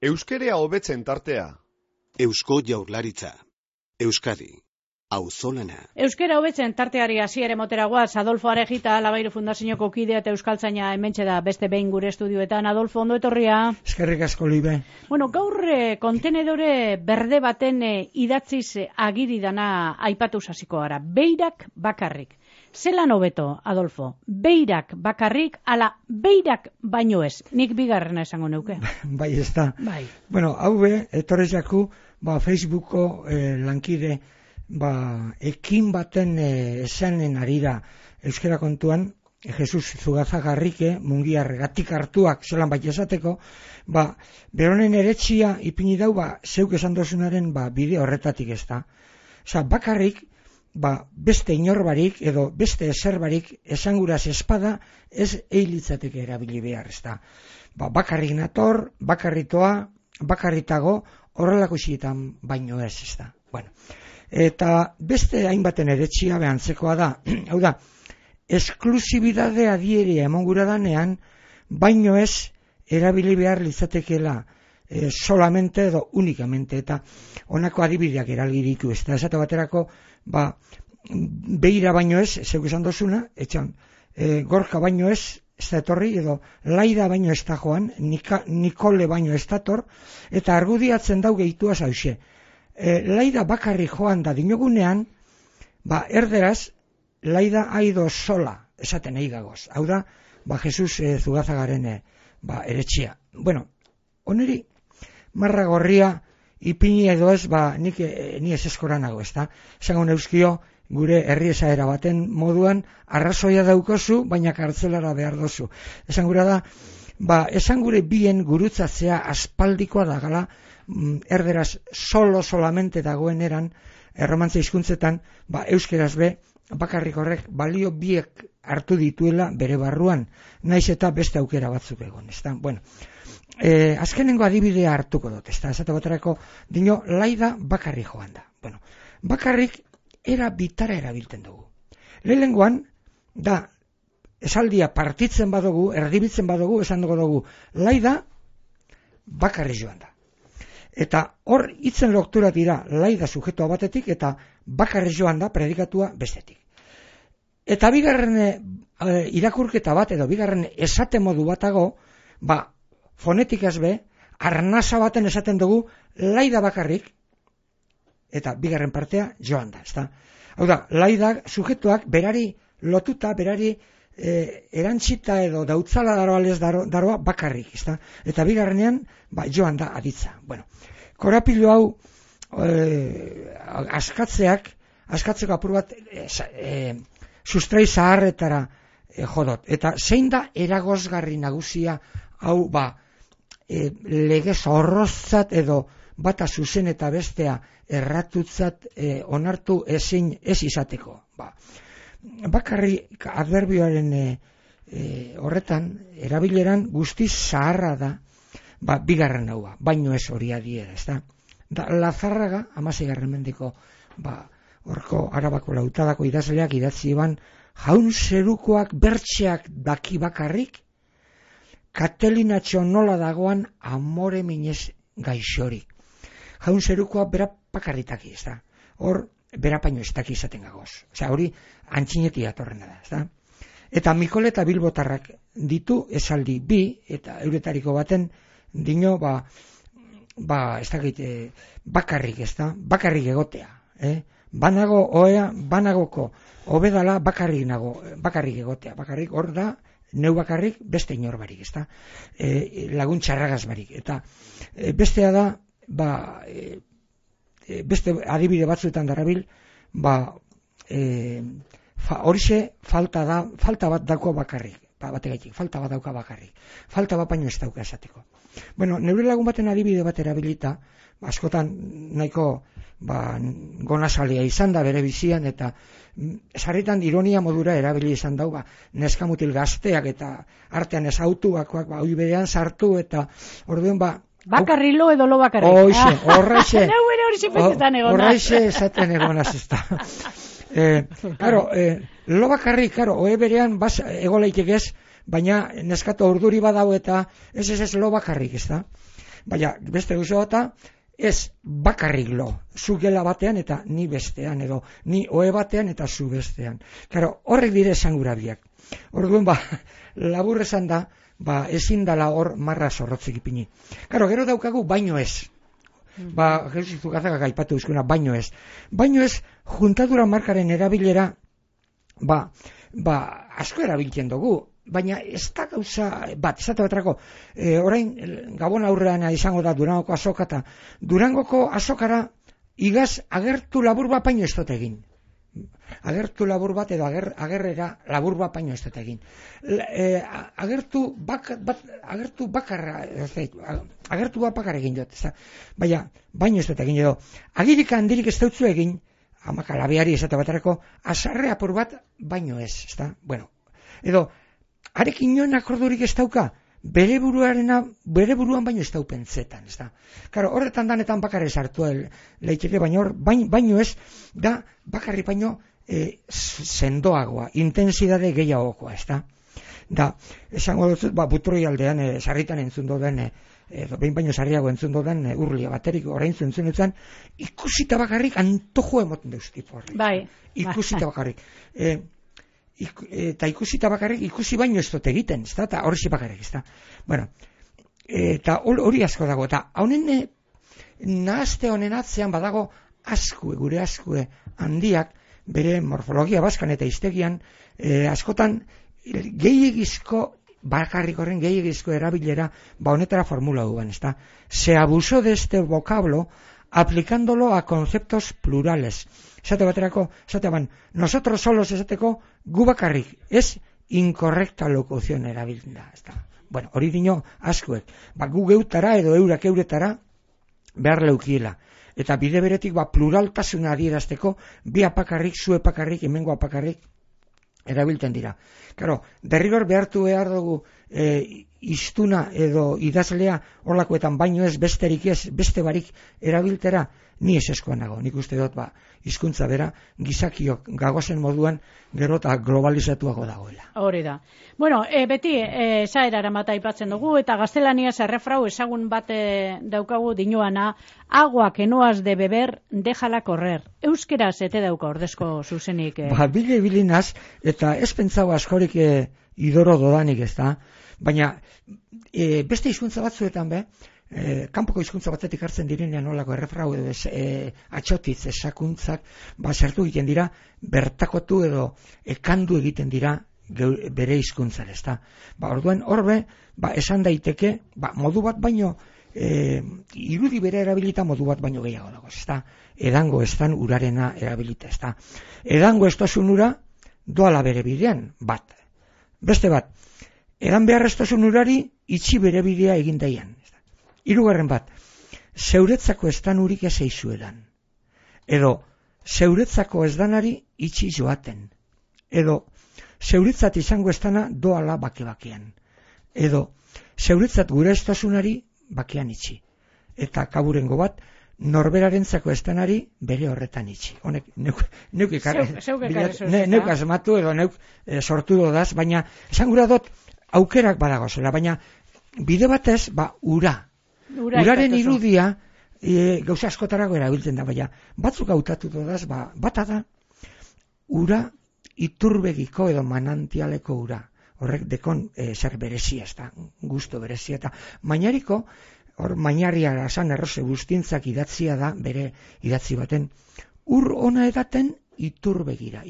Euskerea hobetzen tartea. Eusko Jaurlaritza. Euskadi. Auzolana. Euskera hobetzen tarteari hasiera moteragoaz. Adolfo Arejita, Labairu Fundazioko kidea eta euskaltzaina hementxe da beste behin gure estudioetan. Adolfo, ondo etorria. Eskerrik asko, Libe. Bueno, gaur kontenedore berde baten idatziz agiri dana aipatu hasiko gara. Beirak bakarrik. Zelan hobeto, Adolfo? Beirak bakarrik, ala beirak baino ez. Nik bigarrena esango neuke. Bai, ez da. Bai. Bueno, haue, etorrez jaku, Facebooko lankide, ekin baten esanen arira euskera kontuan, Jesus Zugazagarrike, mungiar gatik hartuak, zelan bai esateko, beronen eretxia ipini dau, zeuk esan dozunaren bide horretatik ez da. Osa, bakarrik, beste inorbarik edo beste eserbarik esanguraz espada ez eilitzateke erabili behar ez da. Bakarrik nator, bakarritoa, bakarritago, horrelako xietan baino ez da. Bueno, eta beste hainbaten eretxia behantzekoa da. Hau da, esklusibidade adieria emongura danean, baino ez erabili behar litzatekela solamente edo unikamente, eta honako adibideak eralgiriku ez da. Esate baterako, beira baino ez, zeuk esan dozuna, etxan, gorka baino ez da etorri, edo laida baino ez da joan, Nikole baino ez dator, eta argudiatzen dau gehitua zauxe. Laida bakarri joan da dinogunean, erderaz, laida aido sola, esaten eigagoz. Hau da, Jesus Zugazagaren eretxia. Bueno, oneri, marra gorria, ipini edo ez, ni ez eskoranago, ez da? Esango neuskio, gure herri esaera baten moduan, arrazoia daukozu, baina kartzelara behar dozu. Esan gura da, esan gure bien gurutzatzea aspaldikoa da gala, erderaz solamente dagoen eran, erromantza hizkuntzetan, euskeraz be, bakarrik horrek balio biek hartu dituela bere barruan, naiz eta beste aukera batzuk egon, ez da? Bueno, azkenengo adibidea hartuko dut, ez da? Esate baterako, dino, laida bakarrik joan da. Bueno, bakarrik era bitara erabiltzen dugu. Lehenengoan, da, esaldia partitzen badugu, erdibitzen badugu, esan dugu, laida bakarrik joan da. Eta hor hitzen loktura dira laida sujetua batetik eta bakarrik joan da predikatua bestetik. Eta bigarren irakurketa bat edo bigarren esate modu batago, fonetikaz be, arnasa baten esaten dugu laida bakarrik eta bigarren partea joan da. Ezta? Hau da, laida sujetuak berari lotuta, berari erantzita edo dautzala daroa bakarrik. Ezta? Eta bigarrenean joan da aditza. Bueno, korapilo hau askatzeko apur bat sustrai zaharretara jodot. Eta zein da eragozgarri nagusia hau legez horrozat edo bata zuzen eta bestea erratutzat onartu ezin ez izateko. Bakarrik adverbioaren horretan, erabileran guztiz zaharra da, bigarren hau, baino ez hori adiera, ez da? Lazarraga, 16. mendeko, horko Arabako Lautadako idazleak idatzi ban, jaun zerukoak bertxeak daki bakarrik, Katelinatxo nola dagoan amore minez gaixori. Jaun zerukoak bera bakarritaki, ez da? Hor, bera paino ez daki izaten gagoz. Osea, hori antxineti atorrena da, ez da? Eta Mikole eta Bilbotarrak ditu esaldi bi, eta euretariko baten dino, ez dakit, bakarrik, ez da? Bakarrik egotea, Banago oea, banagoko obedala bakarrik egotea. Bakarrik hor da, neu bakarrik beste inorbarik, ez da? Lagun txarragaz barik. Eta bestea da, beste adibide batzuetan darabil, horixe falta bat dauko bakarrik, bategaitik, falta bat dauka bakarrik. Falta bat baino ez dauka esateko. Bueno, neure lagun baten adibide bat erabilita, askotan nahiko gonazalia izan da bere bizian, eta sarritan ironia modura erabili izan dau, neskamutil gazteak eta artean ez autuakoak, hoi berean sartu, eta orduen bakarri lo edo lo bakarri. Horreixe. Horreixe esaten egonaz ez da. Lo bakarri, oe berean egoleitek ez, baina neskato urduri badau eta ez lo bakarrik, ez da. Baina, beste gauza bata, ez bakarrik lo, zu gela batean eta ni bestean, edo ni ohe batean eta zu bestean. Claro, horrek dire esangura biak. Orduan, labur esan da, ezin dala hor marra zorrotzik ipini. Claro, gero daukagu baino ez. Jesus Zugazagak aipatu duzkuna, baino ez. Baino ez, juntadura markaren erabilera, asko erabiltzen dugu. Baina ez da gauza bat, esate baterako, orain Gabon aurrean izango da Durangoko azoka, eta Durangoko azokara igaz agertu labur bat baino ez dut egin. Agertu labur bat edo agerrera labur bat baino ez dut egin. Agertu bakarra egin dut, baina baino ez dut egin edo. Agirik handirik ez dutzu egin, amakalabeari esate baterako, azarre apur bat baino ez, ezta? Bueno, edo, arekin joan akordurik ez dauka, bere buruan baino ez dau pentsetan, ez da. Karo, horretan danetan bakarri sartu leiteke, baina baino ez, da bakarri baino sendoagoa, intensidade gehiagokoa, ez da. Da, esango dut, butroi aldean, sarritan entzun doden, behin baino sarriago entzun doden, urlia baterik orain entzun dutzen, ikusita bakarrik antojo emoten deuz tipo horrek. Bai. Ikusita bakarrik. Eta ikusita bakarrik, ikusi baino ez dut egiten, ez da, eta hori bakarrik, ez da. Bueno, eta hori asko dago, eta honen nahazte honen atzean badago gure askue handiak, bere morfologia baskan eta hiztegian, askotan gehiagizko, bakarrik horren gehiagizko erabilera, honetara formula duan, ez da. Se abusó de este vocablo aplicándolo a conceptos plurales. Esate baterako, nosotros solos esateko gu bakarrik, ez incorrecta locución erabilda. Bueno, hori dino askuek. Gu geutara edo eurak euretara behar leukiela. Eta bide beretik pluraltasuna adierazteko bi apakarrik, zu epakarrik, hemengo apakarrik erabiltzen dira. Claro, derrigor behartu behar dugu iztuna edo idazlea horlakoetan baino ez besterik ez, beste barik erabiltera, ni ez eskoan nago. Nik uste dut, hizkuntza bera, gizakiok gagozen moduan gero eta globalizatuago dagoela. Hori da. Bueno, beti esaerara bat aipatzen dugu, eta gaztelaniaz errefrau ezagun bat daukagu dinoana, agua que no has de beber, déjala correr. Euskeraz ete dauka ordezko zuzenik. Bilinaz, eta ez pentsau askorik idoro dodanik ez da, baina beste hizkuntza batzuetan kanpoko hizkuntza batetik hartzen direnean nolako errefrau edo atxotitz esakuntzak sartu egiten dira, bertakotu edo ekandu egiten dira bere hizkuntzan, ezta. Orduan horbe esan daiteke, modu bat baino irudi bere erabilita modu bat baino gehiago dago, ezta. Edango estan urarena erabilita, ezta. Edango estosun ura doala bere bidean, bat. Beste bat, edan behar estosun urari itxi bere bidea egin daian. Hirugarren bat, zeuretzako estan urik ez eizuedan. Edo, zeuretzako ez danari itxi joaten. Edo, zeuretzat izango estana doala bake-bakean. Edo, zeuretzat gure estosunari bakean itxi. Eta kaburengo bat, norberarentzako estanari bere horretan itxi. Honek, neuk asmatu edo neuk sortu dodaz, baina esan gura dut aukerak badago zela, baina bide batez, ura. Uraren irudia gauza askotarago erabiltzen da, baina batzuk hautatu dodaz, bata da, ura iturbegiko edo manantialeko ura. Horrek dekon zer berezia, ez da, gusto berezia, eta mainariko, hor mainarria esan errose guztintzak idatzia da, bere idatzi baten, ur ona edaten iturbegira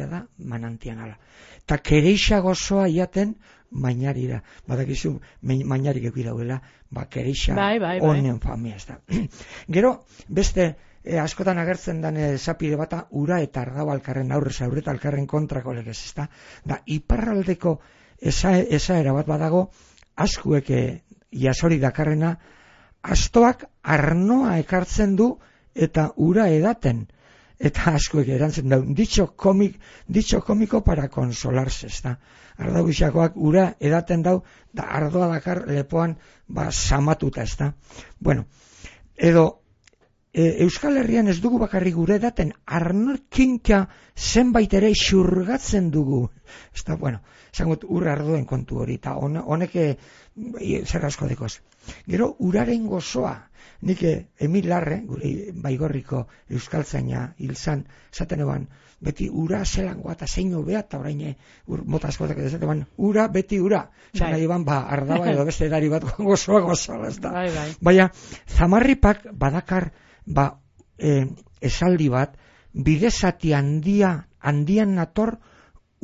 da manantianala. Eta kereixa gozoa iaten mainarira. Badakizu, mainarik eki dauela, kereixa honen famia, ez da. Gero, beste, askotan agertzen den zapide bata, ura eta argau alkarren aurrez aurreta alkarren kontrako legez, ez da. Da, iparraldeko esaera bat badago, askuek jasori dakarrena, astoak arnoa ekartzen du eta ura edaten. Eta askuek erantzen dau, dicho komiko para consolarse, ez da. Ardau gixakoak ura edaten dau, da ardoa dakar lepoan samatuta, ez da. Bueno, edo Euskal Herrian ez dugu bakarrik gure daten, arnorkinka zenbait ere xurgatzen dugu. Eta, bueno, zangot ur arduen kontu hori, eta honek zer asko dekoz. Gero, uraren gozoa, nik Emil Larre, gure Baigorriko euskaltzaina hilzan, zaten eban, beti ura zelangoa eta zein hobea, eta orain mota askotak edaten, ura beti ura. Zan nahi ban, ardaba edo beste edari bat gozoa, ez da. Baina, Zamarripak badakar, esaldi bat, bidezati handian nator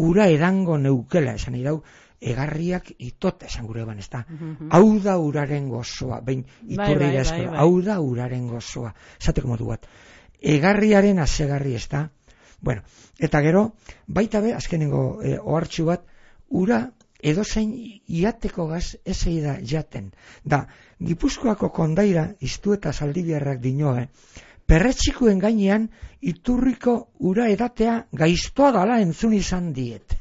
ura edango neukela, esan idau, egarriak itot esan gure ban, ez da. Hau da uraren gozoa, behin iturri da eskola, hau da uraren gozoa, esateko modu bat. Egarriaren asegarri, ez da. Bueno, eta gero, baita be, azkenengo ohartxu bat, ura edozein iateko gaz ezei da jaten. Da, Gipuzkoako kondaira, iztu eta Zaldibiarrak dinoe, perretxikuen gainean iturriko ura edatea gaiztoa dala entzun izan diet.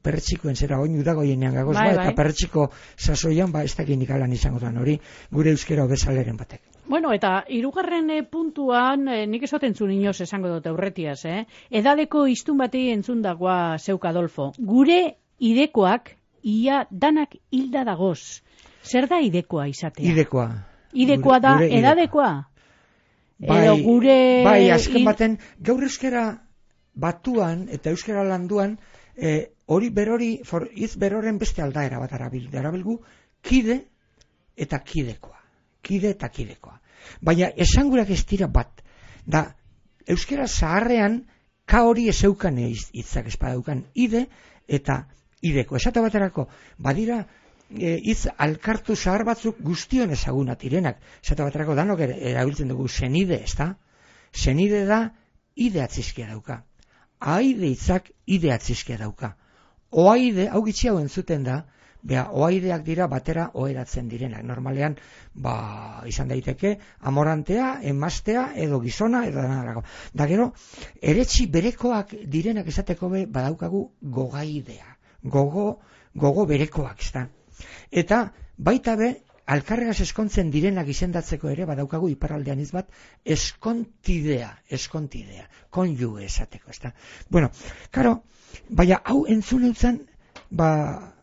Perretxikoen zera oin udagoienean gagoz eta perretxiko sasoian ez dakinik alan izango duan hori, gure euskera obezaleren batek. Bueno, eta hirugarren puntuan, nik esaten zuen inoz esango dut aurretiaz, edadeko iztun bati entzun dagoa zeuk Adolfo. Gure idekoak ia danak hilda dagoz. Zer da idekoa izatea? Idekoa. Idekoa da edadekoa? Bai, azken baten, gaur euskera batuan eta euskera landuan, hori berori, hitz beroren beste aldaera bat arabilgu, kide eta kidekoa. Kide eta kidekoa. Baina esangurak ez dira bat. Da, euskera zaharrean ka hori ez eukan hitzak espadaukan. Ide eta ideko. Esate baterako, badira hitz alkartu zahar batzuk guztion ezagunat direnak. Esate baterako danok erabiltzen dugu senide, ez da? Senide da ide atzizkia dauka. Aide hitzak ide atzizkia dauka. Oaide, hau gitxi hau entzuten da, oaideak dira batera oheratzen direnak. Normalean, izan daiteke, amorantea, emaztea, edo gizona, edo danarako. Da gero, eretxi berekoak direnak esateko badaukagu gogaidea. Gogo berekoak, ez da. Eta, baita be, alkarregaz eskontzen direnak izendatzeko ere, badaukagu iparraldean bat, eskontidea, konjuge esateko, ez da. Bueno, karo, baina hau entzun eutzen,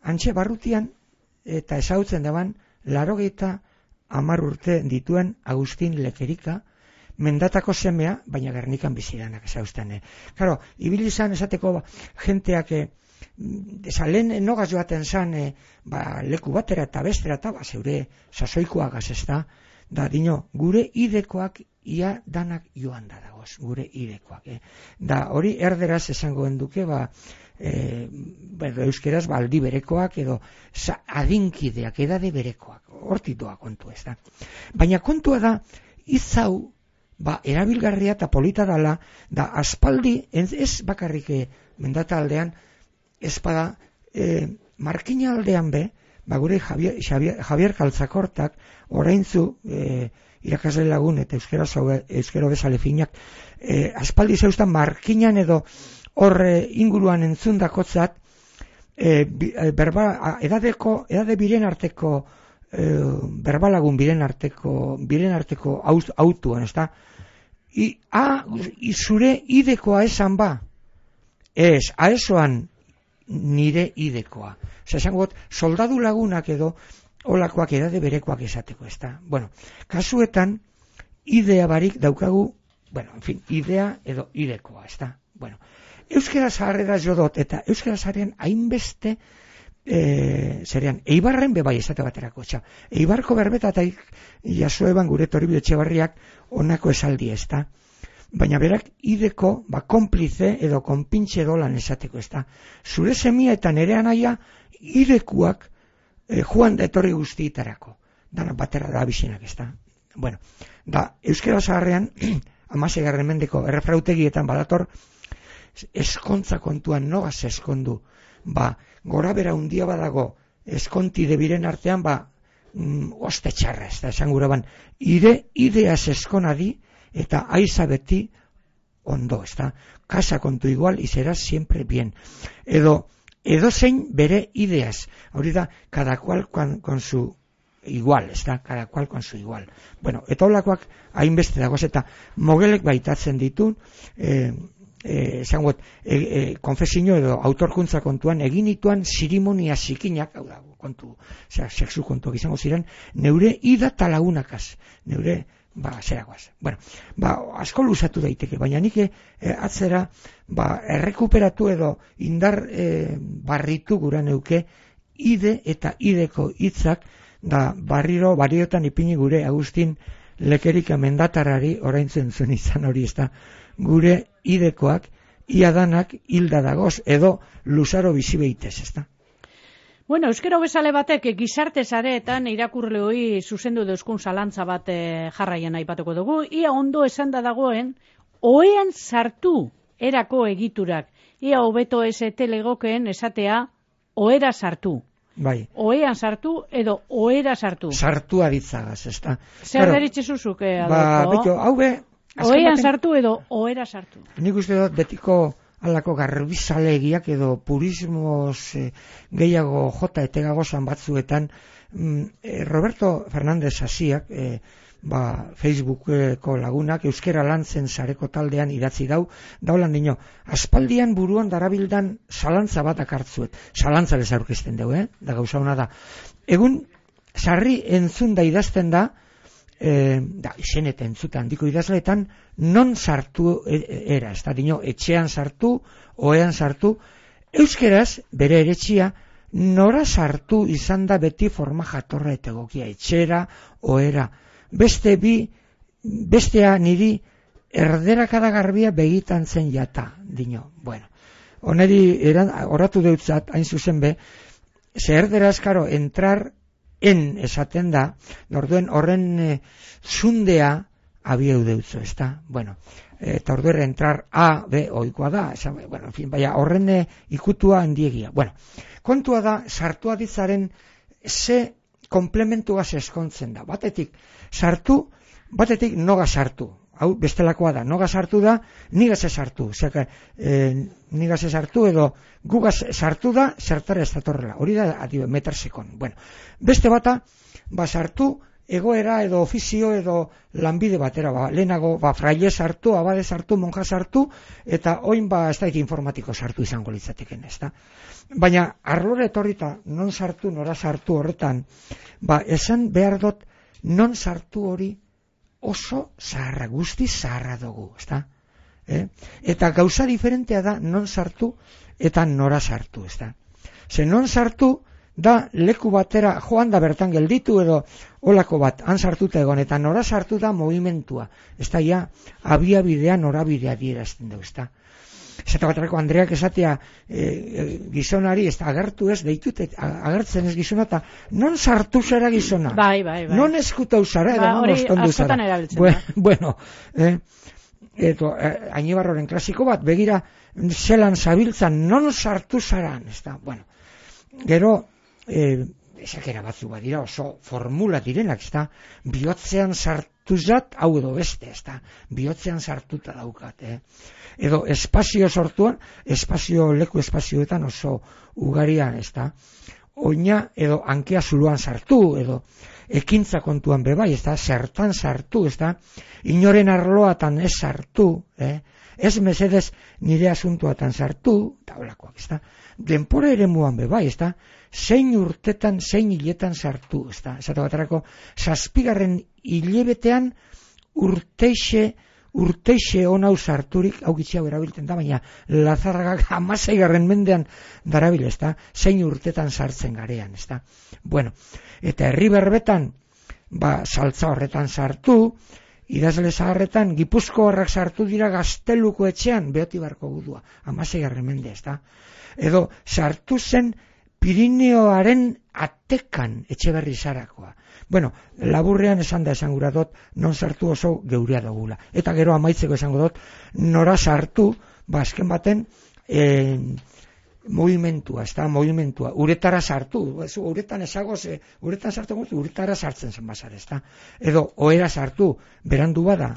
antxe barrutian eta ezagutzen daban 80 urte dituen Agustin Lekerika, mendatako semea, baina Gernikan bizidanak ezaguzten. Karo, ibili izan esateko jenteak lehen nogaz joaten zan leku batera eta bestera eta zeure sasoikoagaz ez da dino, gure idekoak ia danak joan da dagoz, gure idekoak. Da hori erderaz esango enduke, euskeraz aldi berekoak edo adinkideak, edade berekoak, hortitoa kontu ez da. Baina kontua da, izau, erabilgarria eta polita dala, da aspaldi, ez bakarrik mendata aldean, ez bada, markina aldean be, gure Javier Kaltzakortak, oraintzu, irakasle lagun eta euskero bezale finak, aspaldi zeustan markinan edo hor inguruan entzundakotzat edade biren arteko berbalagun biren arteko autuan, ez da? Zure idekoa esan ba? Ez, aesoan nire idekoa. Osa, esango, soldadu lagunak edo olakoak edade berekoak esateko, ez da? Bueno, kasuetan, idea barik daukagu, idea edo idekoa, ez da? Bueno, euskera zaharrera jodot, eta euskera zaharrean hainbeste, Eibarren bebai esate baterako, Eibarko berbeta eta jasoeban gure Toribio Etxebarriak onako esaldi ez da. Baina berak ideko, konplize edo konpintxe dolan esateko ez da. Zure semia eta nere anaia idekuak joan da etorri guztietarako. Dana batera da abizinak ez da. Bueno, da euskera zaharrean, 16. mendeko errefrautegietan badator, eskontza kontuan nogaz eskondu. Gora bera undia badago eskontide biren artean, oste txarra ez da, esan gura ban, ideaz eskonadi eta aiza beti ondo, ez da, casa kontu igual y serás siempre bien. Edo zein bere ideaz, hori da, cada cual con su igual, ez da, cada cual con su igual. Bueno, eta holakoak hainbeste dagoz, eta mogelek baitatzen ditu, konfesio edo autorkuntza kontuan egin dituan zirimonia zikinak, hau da, kontu, sexu kontuak izango ziren, neure ida talagunakaz, neure, zeragoaz. Bueno, asko luzatu daiteke, baina nik atzera, errekuperatu edo indar barritu gura neuke, ide eta ideko hitzak, da barriotan ipini gure Agustin Lekerika mendatarari oraintzen zuen izan hori, ez da, gure idekoak, iadanak hilda dagoz, edo luzaro bizi behitez, ez da. Bueno, euskera bezale batek gizarte sareetan irakurleoi zuzendu deuskun zalantza bat jarraian aipatuko dugu. Ia ondo esan da dagoen, oean sartu erako egiturak. Ia hobeto ez telegokeen esatea oera sartu. Bai. Oean sartu edo oera sartu. Sartu aditzagaz, ez da. Zer deritxe zuzuk, Adolfo? Hau be... Oean sartu edo oera sartu. Nik uste dut betiko alako garbizalegiak edo purismos gehiago jota etegagozan batzuetan Roberto Fernández Asiak Facebookeko lagunak euskera lantzen sareko taldean idatzi daulan dino, aspaldian buruan darabildan zalantza bat akartzuet, zalantza bez aurkezten dugu, da gauza hona da. Egun sarri entzun da idazten da, izen eta entzuta handiko idazleetan, non sartu era, ez da, dino, etxean sartu, oean sartu, euskeraz, bere eretxia, nora sartu izan da beti forma jatorra eta egokia, etxera, oera, bestea niri erderakada garbia begitan zen jata, dino, bueno, oneri oratu deutzat, hain zuzen be, ze erderaz, karo, entrar en esaten da, orduen horren zundea abieu deutzo, ez da? Bueno, eta orduen entrar A, B, oikoa da, bueno, en fin, baina horren ikutua handiegia. Bueno, kontua da, sartu aditzaren ze komplementuaz eskontzen da. Batetik sartu, batetik noga sartu. Hau bestelakoa da, noga sartu da, nigaz sartu. Osea, nigaz sartu edo gugaz sartu da, zertara ez datorrela. Hori da, metersekon. Bueno, beste bata, sartu, egoera edo ofizio edo lanbide batera, lehenago, fraile sartu, abade sartu, monja sartu, eta oin ez da informatiko sartu izango litzateken, ez da. Baina, arlora etorrita, non sartu, nora sartu horretan, esan behar dut, non sartu hori oso zaharra, guzti zaharra dugu, ezta? Eta gauza diferentea da non sartu eta nora sartu, ezta? Ze non sartu da leku batera joan da bertan gelditu edo olako bat, han sartuta egon, eta nora sartu da movimentua, ezta, ja, abiabidea norabidea dierazten dugu, ezta? Zeta baterako Andreak esatea gizonari, ez da, agertu ez, deitut, agertzen ez gizona, eta non sartu zara gizona? Bai. Non eskutau zara, edo non ostondu zara? Hori askotan erabiltzen. Bueno, Añibarroren klasiko bat, begira, zelan zabiltzan, non sartu zaran, ez da, bueno. Gero, esakera batzu badira, oso formula direnak, ez da, bihotzean sartu zat, hau edo beste, ez da, bihotzean sartuta daukat, edo espazio sortuan, leku espazioetan oso ugarian, ez da, oina edo hankea zuluan sartu, edo ekintza kontuan bebai, ez da, zertan sartu, ez da, inoren arloatan ez sartu, ez mesedez nire asuntuatan sartu, eta holakoak, ez da, denpora ere muan bebai, ez da, zein urtetan, zein hiletan sartu, ez da, esate baterako, 7. hilebetean urteixe onau sarturik, hau gitxiago erabiltzen da, baina Lazargak 16. mendean darabil, ez da, zein urtetan sartzen garean, ez da. Bueno, eta herri berbetan, saltza horretan sartu, idazle zaharretan, Gipuzkoarrak sartu dira Gazteluko etxean, Beotibarko gudua, 16. mende, ez da. Edo, sartu zen Pirineoaren atekan Etxeberri zarakoa. Bueno, laburrean esan da esango dut, non sartu oso geurea dugula. Eta gero amaitzeko esango dut, nora sartu, azken baten, movimentua, ez da, movimentua. Uretara sartu, uretan esagoz, uretan sartu, uretara sartzen zen bazar, ez da. Edo, oera sartu, berandu bada,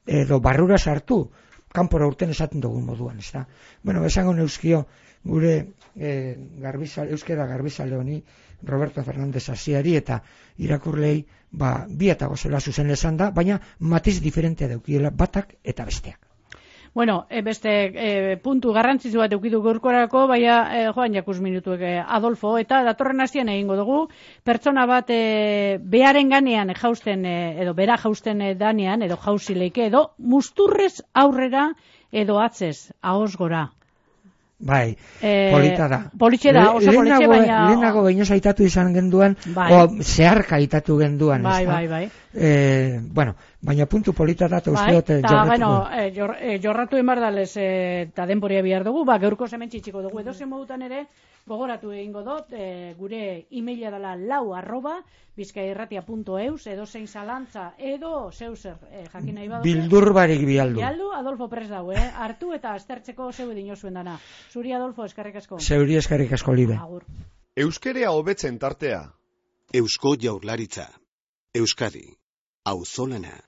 edo barrura sartu, kanpora urten esaten dugun moduan, ez da. Bueno, esango neuzkio gure euskera garbizale honi, Roberto Fernández Asiari eta irakurlei, bi eta gozela zuzen esan da, baina matiz diferentea daukiela batak eta besteak. Bueno, beste puntu garrantzitsu bat eukidu gaurkorako, baina joan jakus minutuek Adolfo, eta datorren hastian egingo dugu, pertsona bat beharen ganean jausten, edo bera jausten danean, edo jauzileike, edo musturrez aurrera, edo atzez, ahoz gora. Bai, polita da. Politxe da, oso politxe, baina... Lehenago behin aitatu izan genduan, zeharka aitatu genduan. Bai. Bueno, baina puntu polita da, eta uste dut jorratu. Jorratu emardalez eta denporia bihar dugu, gaurko hemen txitsiko dugu. Edo zen modutan ere, gogoratu egingo dut, gure e-maila dela lau@bizkaierratia.eus, edo zein zalantza, edo zeuzer jakin nahi baduzu. Bildur barik bialdu. Bialdu, Adolfo prest dago, hartu eta aztertzeko zeu dinozuen dana. Zuri, Adolfo, eskerrik asko. Zeuri eskerrik asko, Libe. Agur. Euskerea hobetzen tartea. Eusko Jaurlaritza. Euskadi. Auzolana.